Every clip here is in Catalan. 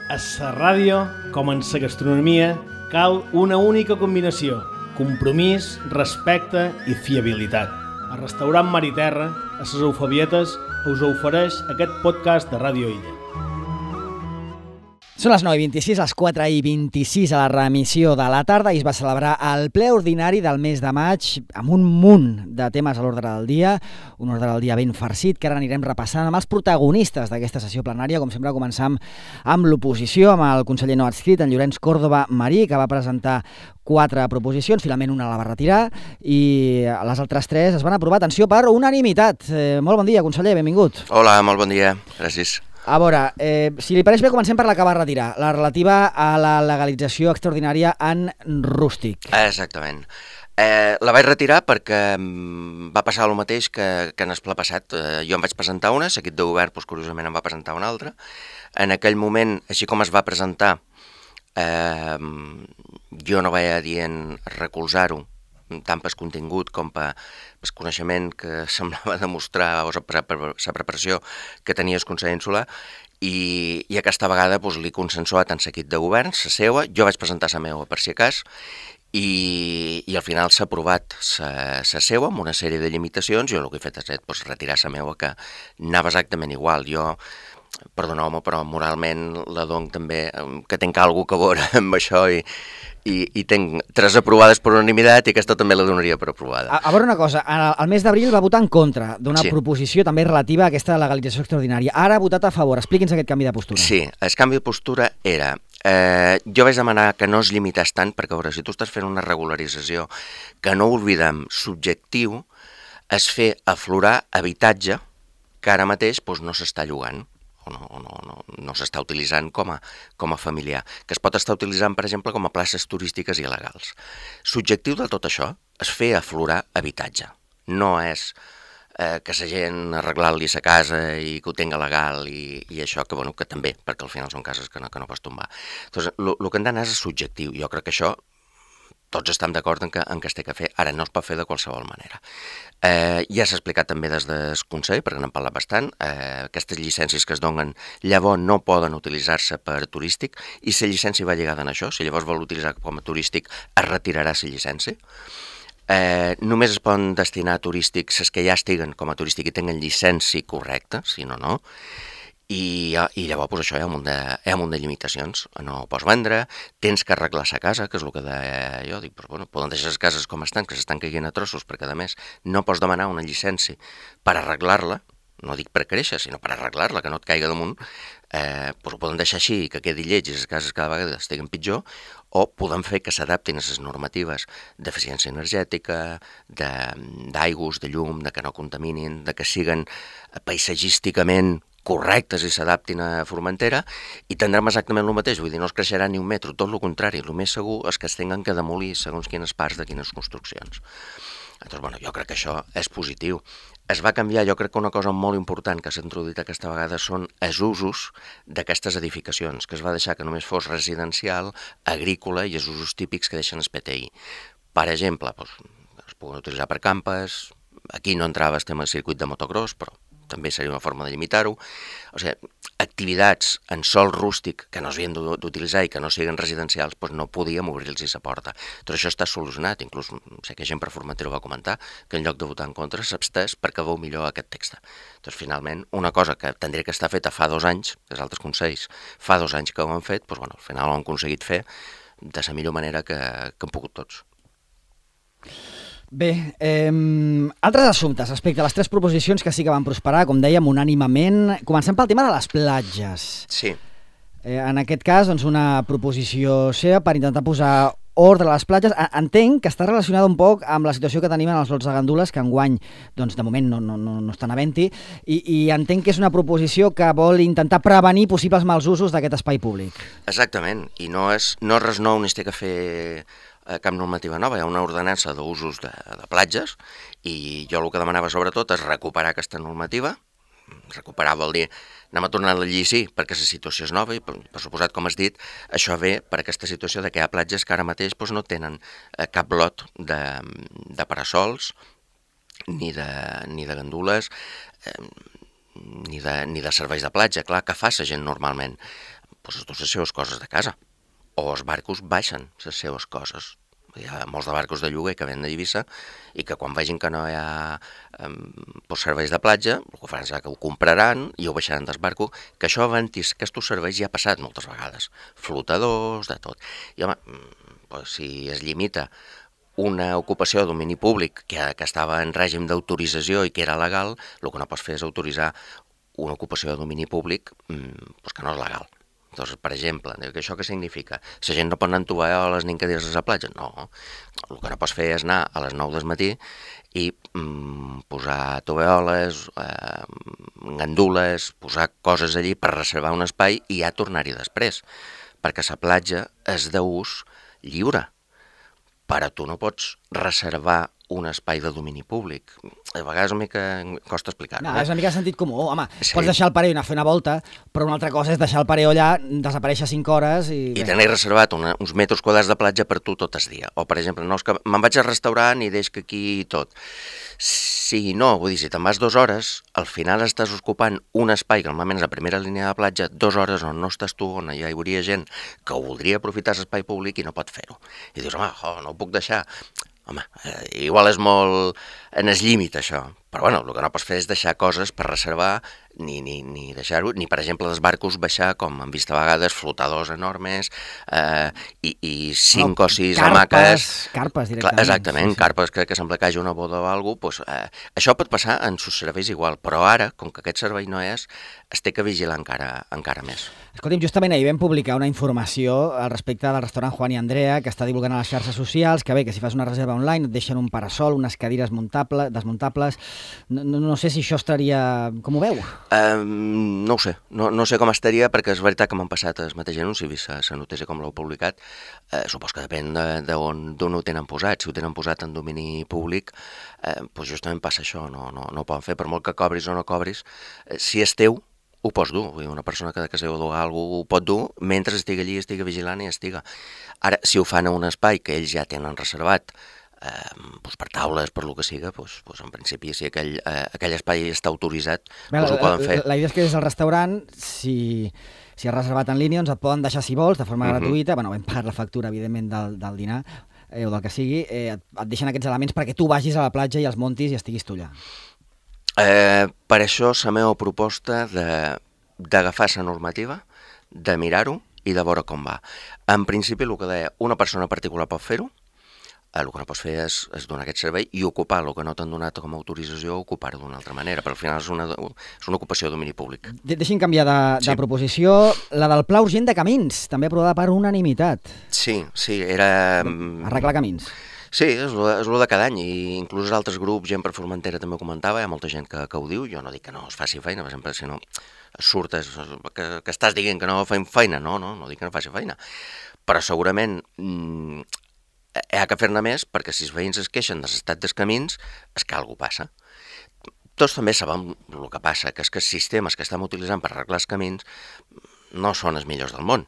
A la ràdio, com en la gastronomia, cal una única combinació: compromís, respecte i fiabilitat. El restaurant Mar i Terra, a les Eufebietes, us ofereix aquest podcast de Ràdio Illa. Són les 9:26, les 4:26 a la reemissió de la tarda i es va celebrar el ple ordinari del mes de maig amb un munt de temes a l'ordre del dia, un ordre del dia ben farcit que ara anirem repassant amb els protagonistes d'aquesta sessió plenària. Com sempre, començam amb l'oposició, amb el conseller no adscrit, en Llorenç Córdoba Marí, que va presentar 4 proposicions, finalment una la va retirar i les altres 3 es van aprovar, atenció, per unanimitat. Molt bon dia, conseller, benvingut. Hola, molt bon dia, gràcies. A veure, si li pareix bé, comencem per la que va retirar, la relativa a la legalització extraordinària en rústic. Exactament. La vaig retirar perquè va passar el mateix que en el ple passat. Jo em vaig presentar una, l'equip de govern, curiosament em va presentar una altra. En aquell moment, així com es va presentar, jo no vaig dient recolzar-ho, tant per contingut com per coneixement que semblava demostrar o la preparació que tenia el Consell Insular, i aquesta vegada l'he consensuat en l'equip de govern, la seva, jo vaig presentar la meva per si acas, i al final s'ha aprovat la seva amb una sèrie de limitacions. Jo el que he fet és retirar la meva, que anava exactament igual. Jo, perdoneu-me, però moralment la dono també, que tinc alguna cosa a veure amb això, i tinc 3 aprovades per unanimitat i aquesta també la donaria per aprovada. A veure una cosa, al mes d'abril va votar en contra d'una proposició també relativa a aquesta legalització extraordinària. Ara ha votat a favor. Expliqui'ns aquest canvi de postura. Sí, el canvi de postura era... jo vaig demanar que no es limités tant, perquè a veure, si tu estàs fent una regularització, que no oblidem, subjectiu, és fer aflorar habitatge que ara mateix no s'està llogant, o no s'està utilitzant com a familiar, que es pot estar utilitzant, per exemple, com a places turístiques il·legals. Subjectiu de tot això és fer aflorar habitatge. No és que la gent arreglar-li la casa i que ho tinga legal i això, que també, perquè al final són cases que no pots tombar. Doncs el que hem d'anar és subjectiu. Jo crec que això tots estem d'acord en que es té que fer. Ara, no es pot fer de qualsevol manera. Ja s'ha explicat també des del Consell, perquè n'hem parlat bastant, aquestes llicències que es donen llavors no poden utilitzar-se per turístic, i la llicència va lligada en això. Si llavors vol utilitzar com a turístic, es retirarà la llicència. Només es poden destinar a turístics les que ja estiguen com a turístic i tenen llicència correcta, si no, no. I llavors això hi ha un munt de limitacions. No ho pots vendre, tens que arreglar la casa, que és el que deia jo. Dic, poden deixar les cases com estan, que s'estan caient a trossos, perquè a més no pots demanar una llicència per arreglar-la, no dic per créixer, sinó per arreglar-la, que no et caiga damunt. Ho poden deixar així, que quedi lleig i les cases cada vegada estiguen pitjor, o podem fer que s'adaptin a les normatives d'eficiència energètica, d'aigües, de llum, de que no contaminin, de que siguen paisatgísticament correctes i s'adaptin a Formentera, i tindrem exactament el mateix. Vull dir, no es creixerà ni un metro, tot el contrari. El més segur és que es tinguin que demolir segons quines parts de quines construccions. Doncs, jo crec que això és positiu. Es va canviar, jo crec que una cosa molt important que s'ha introduït aquesta vegada són els usos d'aquestes edificacions, que es va deixar que només fos residencial, agrícola i els usos típics que deixen el PTI. Per exemple, es poden utilitzar per campes, aquí no entrava el tema del circuit de motocross, però també seria una forma de limitar-ho. O sigui, activitats en sòl rústic que no s'havien d'utilitzar i que no siguin residencials, no podíem obrir-los la porta. Tot això està solucionat, inclús sé que gent per Formentera ho va comentar, que en lloc de votar en contra s'abstès perquè veu millor aquest text. Doncs finalment, una cosa que tindria que estar feta fa 2 anys, que els altres consells fa 2 anys que ho han fet, al final ho han aconseguit fer de la millor manera que han pogut tots. Bé, altres assumptes respecte a les 3 proposicions que sí que van prosperar, com dèiem, unànimament. Comencem pel tema de les platges. Sí. En aquest cas, una proposició seva per intentar posar ordre a les platges. Entenc que està relacionada un poc amb la situació que tenim en els lots de gandules, que enguany, de moment, no estan havent-hi, i entenc que és una proposició que vol intentar prevenir possibles mals usos d'aquest espai públic. Exactament, i no és res nou ni es té que fer cap normativa nova, hi ha una ordenança d'usos de platges, i jo el que demanava sobretot és recuperar aquesta normativa. Recuperar vol dir anem a tornar a la llei, sí, perquè la situació és nova i, per suposat, com has dit, això ve per aquesta situació de que hi ha platges que ara mateix no tenen cap lot de parasols, ni de gandules, ni de serveis de platja. Clar, què fa la gent normalment? doncs es du les seves coses de casa. O els barcos baixen les seves coses. Hi ha molts de barcos de lloguer que venen a Eivissa i que quan vegin que no hi ha serveis de platja, el que faran serà que ho compraran i ho baixaran del barco, que això abans aquests serveis ja ha passat moltes vegades. Flotadors, de tot. I home, si es limita una ocupació de domini públic que estava en règim d'autorització i que era legal, el que no pots fer és autoritzar una ocupació de domini públic que no és legal. Doncs, per exemple, això què significa? La gent no pot anar amb tovalloles ni encadires a la platja? No. El que no pots fer és anar a les 9 del matí i posar tovalloles, gandules, posar coses allí per reservar un espai i ja tornar-hi després, perquè la platja és d'ús lliure. Però tu no pots reservar un espai de domini públic. A vegades una mica costa explicar-ho. No, és una mica de sentit comú. Home, sí. Pots deixar el pareo i anar a fer una volta, però una altra cosa és deixar el pareo allà, desaparèixer 5 hores i... I tenir reservat uns metres quadrats de platja per tu tot el dia. O, per exemple, no, és que me'n vaig al restaurant i deixo que aquí tot. Si no, vull dir, si te'n vas 2 hores, al final estàs ocupant un espai, que normalment és la primera línia de platja, 2 hores on no estàs tu, on hi hauria gent que voldria aprofitar l'espai públic i no pot fer-ho. I dius, home, no ho puc deixar. Home, igual és molt en el límit, això. Però, bueno, el que no pots fer és deixar coses per reservar, ni deixar-ho, ni, per exemple, dels barcos baixar, com hem vist a vegades, flotadors enormes, i 5 o 6 hamaques... Carpes, directament. Exactament, sí. Carpes que sembla que hi hagi una boda o alguna cosa. Això pot passar en sus serveis igual, però ara, com que aquest servei no és, es té que vigilar encara més. Escolti'm, justament ahir vam publicar una informació al respecte del restaurant Juan i Andrea, que està divulgant a les xarxes socials, que bé, que si fas una reserva online et deixen un parasol, unes cadires desmuntables. No sé si això estaria... Com ho veu? No ho sé, no sé com estaria, perquè és veritat que m'han passat el mateix anunci, vist la notícia com l'heu publicat. Supos que depèn d'on ho tenen posat. Si ho tenen posat en domini públic, doncs justament passa això, no ho poden fer, per molt que cobris o no cobris. Si és teu, ho pots dur. Una persona que es deu dur alguna cosa ho pot dur mentre estigui allí, estigui vigilant i estiga. Ara, si ho fan a un espai que ells ja tenen reservat, per taules, per lo que siga, en principi, si aquell espai està autoritzat, ho poden fer. La idea és que des del restaurant, si has reservat en línia, et poden deixar, si vols, de forma gratuïta, hem pagat la factura, evidentment, del dinar, o del que sigui, et deixen aquests elements perquè tu vagis a la platja i els montis i estiguis tu allà. Per això la meva proposta d'agafar la normativa, de mirar-ho i de veure com va. En principi, el que deia, una persona particular pot fer-ho, el que no pots fer és donar aquest servei i ocupar el que no t'han donat com a autorització, ocupar-ho d'una altra manera, però al final és una ocupació de domini públic. Deixi'm canviar de proposició. La del Pla Urgent de Camins, també aprovada per unanimitat. Sí, era... Arreglar camins. Sí, és el de cada any, i inclús altres grups, gent per Formentera també ho comentava, hi ha molta gent que ho diu, jo no dic que no es faci feina, per exemple, si no surtes, que estàs dient que no fem feina, no dic que no faci feina, però segurament hi ha que fer-ne més, perquè si els veïns es queixen de l'estat dels camins, és que alguna cosa passa. Tots també sabem el que passa, que és que els sistemes que estem utilitzant per arreglar els camins no són els millors del món,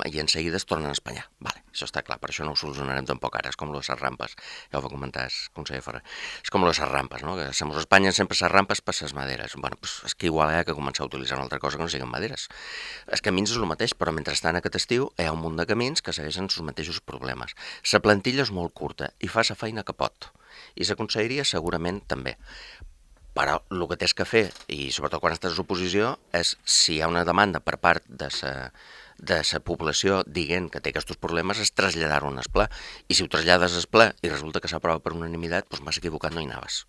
i en seguida es tornen a espanyar. Vale, això està clar, per això no ho solucionarem tampoc ara, és com les rampes, ja ho va comentar el conseller Ferrer, és com les rampes, no? Que se mos espanyen sempre les rampes per les maderes. Bueno, és que igual hi ha que començar a utilitzar una altra cosa que no siguin maderes. Els camins és el mateix, però mentrestant aquest estiu hi ha un munt de camins que segueixen els mateixos problemes. La plantilla és molt curta i fa la feina que pot, i la conselleria segurament també. Però el que tens que fer, i sobretot quan estàs a l'oposició, és si hi ha una demanda per part de la població dient que té aquests problemes, és traslladar-ho al ple. I si ho trasllades al ple i resulta que s'aprova per unanimitat, doncs m'has equivocat, no hi anaves.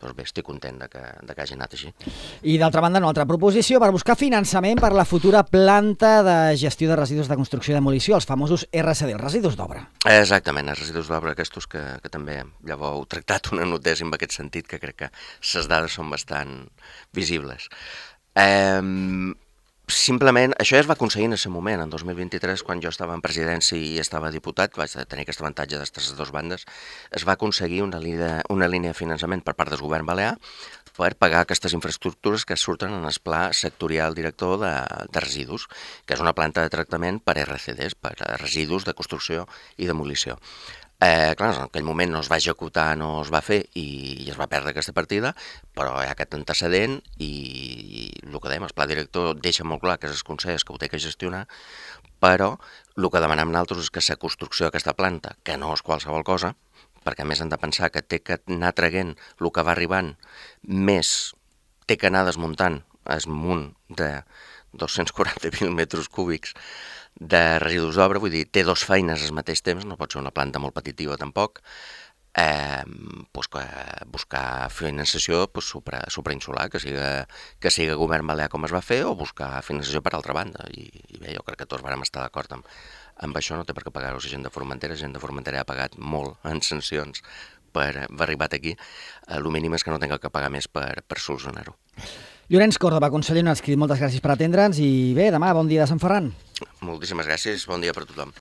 Doncs bé, estic content que hagi anat així. I d'altra banda, una altra proposició per buscar finançament per la futura planta de gestió de residus de construcció i demolició, els famosos RCD, els residus d'obra. Exactament, els residus d'obra aquests que també ja heu tractat una notícia en aquest sentit, que crec que les dades són bastant visibles. Simplement, això ja es va aconseguir en aquest moment, en 2023, quan jo estava en presidència i estava diputat, vaig tenir aquest avantatge d'estes dues bandes, es va aconseguir una línia de finançament per part del govern balear per pagar aquestes infraestructures que surten en el pla sectorial director de residus, que és una planta de tractament per RCDs, per residus de construcció i demolició. Clar, en aquell moment no es va executar, no es va fer i es va perdre aquesta partida, però hi ha aquest antecedent i el que dèiem, el pla director deixa molt clar que és el Consell que ho té que gestionar, però el que demanem nosaltres és que la construcció d'aquesta planta, que no és qualsevol cosa, perquè a més hem de pensar que té que anar traient el que va arribant, més té que anar desmuntant el munt de 240.000 metres cúbics de residus d'obra, vull dir, té dos feines al mateix temps, no pot ser una planta molt petitiva tampoc, buscar financiació suprainsular, que siga govern balear com es va fer, o buscar financiació per altra banda, i bé, jo crec que tots vam estar d'acord amb això, no té per què pagar-ho la gent de Formentera ha pagat molt en sancions per haver arribat aquí, el mínim és que no tinga que pagar més per solucionar-ho. Llorenç Córdoba, conseller, un escrit, moltes gràcies per atendre'ns i bé, demà, bon dia de Sant Ferran. Moltíssimes gràcies, bon dia per tothom.